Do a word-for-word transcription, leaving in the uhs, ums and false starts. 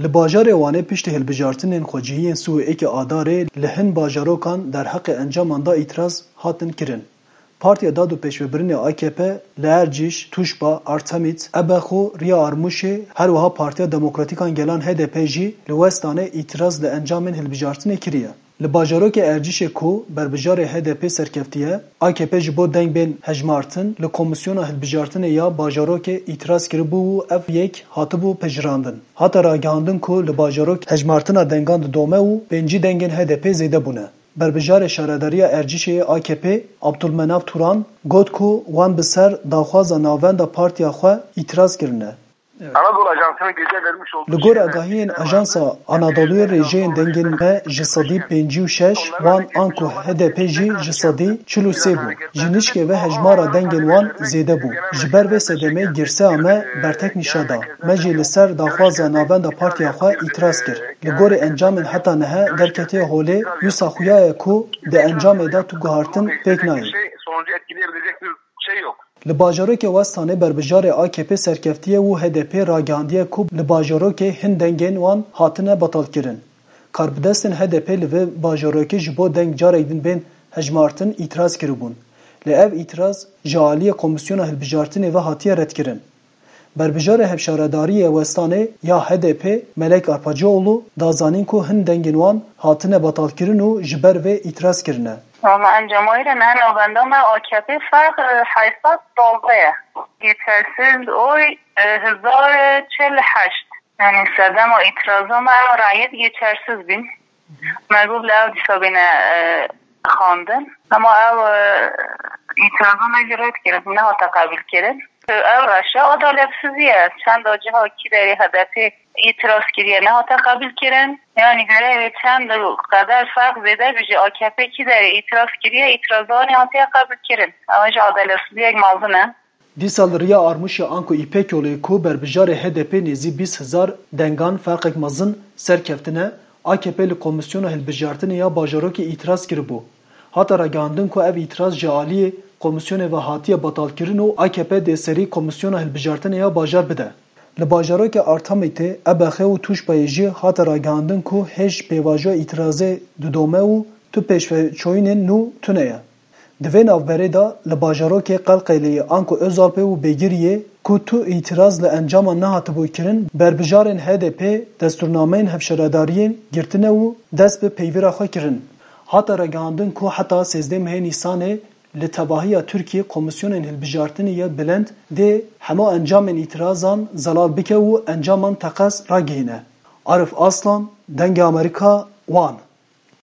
Li bajarê Wanê piştî hilbijartinên xwecihiyên sî û yekê Adarê li hin bajarokan derheqê encaman da îtiraz hatin kirin. Partiya Dad û Pêşvebirinê A K P li Ercîş, Tûşba, Artemît, Ebexo, Riya Armûşê, her wiha Partiya Demokratîkan Gelan H D P jî li Westanê îtiraz li encamên hilbijartinê kiriye. Li bajarokê Ercîşê ku berbijarê H D P serkeftiye, A K P ji bo deng bên hejmartin li Komîsyona Hilbijartinê ya bajarokê îtiraz kiribû û ev yek hatibû pejirandin. Hate ragihandin ku li bajarokê hejmartina dengan didome û pêncî dengên H D P zêde bûne. Berbijarê Şaredariya Ercîşê yê A K P Abdulmenav Turan got ku wan bi ser daxwaza navenda partiya xwe îtiraz kirine. Anadolu Ajansı'nın gece vermiş olduğu Li gor agahiyên Ajansa Anadoluyê rêjeyên dengên me ji sedî pêncî û şeş, wan anku H D P jî ji sedî çil û sê bû. Ji nişkê ve hejmara dengên wan zêde bû. Ji ber vê sedemê girseya me bertek nîşa da. Me jî li ser daxwaza navenda partiya xwe îtiraz kir. Li gorî encamên heta niha derketiye holê, wisa xuya ye ku di encamê de tu guhartin pêk nayê. Sonucu etkileyebilecek bir şey yok. Li bajarokê Westanê berbijarê A K P serkeftiye û H D P ragihandiye ku li bajarokê hin dengên wan hatine betalkirin. Karbidestên H D P li vê bajarokê ji bo deng carek din bên hejmartin îtiraz kiribûn. Lê ev îtiraz ji aliyê Komîsyona Hilbijartinê ve hatiye redkirin. Berbijarê Hevşaredariyê Westanê ya H D P Melek Arpacıoğlu da zanîn ku hin dengên wan hatine betalkirin û ji ber vê îtiraz kirine. Ama encama wê re ne navenda me A K P ferq, e, heyşt sed saldeh ye. Geçersiz oy, e, hezar çil heşt. Yani sedema îtiraza me ew rayet geçersiz bin. Me got li ew dîsa bêne, e, xwendin. Ama ew, e, îtiraza me jî red kirin, nehate qebûl kirin. Ev reşa adaletsizî ye. Çenda ciha kî derê H D P îtiraz kiriye, nehate qebûl kirin. Yani gerek çend qeder ferq zêde bî ji A K P kî derê îtiraz kiriye, îtiraza wan hatiye qebûl kirin. Ew jî adaletsiziyek mezin e. Dîsa li Riya Armûşê anku Îpek Yolê ku berbijarê H D P nêzî bîst hezar dengan ferqek mezin serkeftine, A K P li Komîsyona Hilbijartinê ya bajarokê îtiraz kiribû. Hate ragihandin ku ev îtiraz ji aliyê komîsyonê ve hatiye betalkirin û A K P dê serî Komîsyona Hilbijartinê ya bajar bide. Li bajarokê Artemîtê, Ebexê û Tûşbayê jî hate ragihandin ku hêj pêvajoya îtirazê didome û tu pêşveçoyînên nû tune ye. Di vê navberê de li bajarokê Qelqêleyê anku Ozalpê û Bêgiriyê ku tu îtiraz li encama nehatibû kirin, berbijarên H D P destûrnameyên hevşaredariyên girtine û dest bi peywira xwe kirin. Hate ragihandin ku heta sêzdeh mehê Nîsanê li tevahiya Tirkiyê Komîsyonên Hilbijartinê yê Bilind dê hema encamên îtirazan zelal bike û encaman teqez ragihîne. Arif Aslan, Dengê Amerîka, Wan.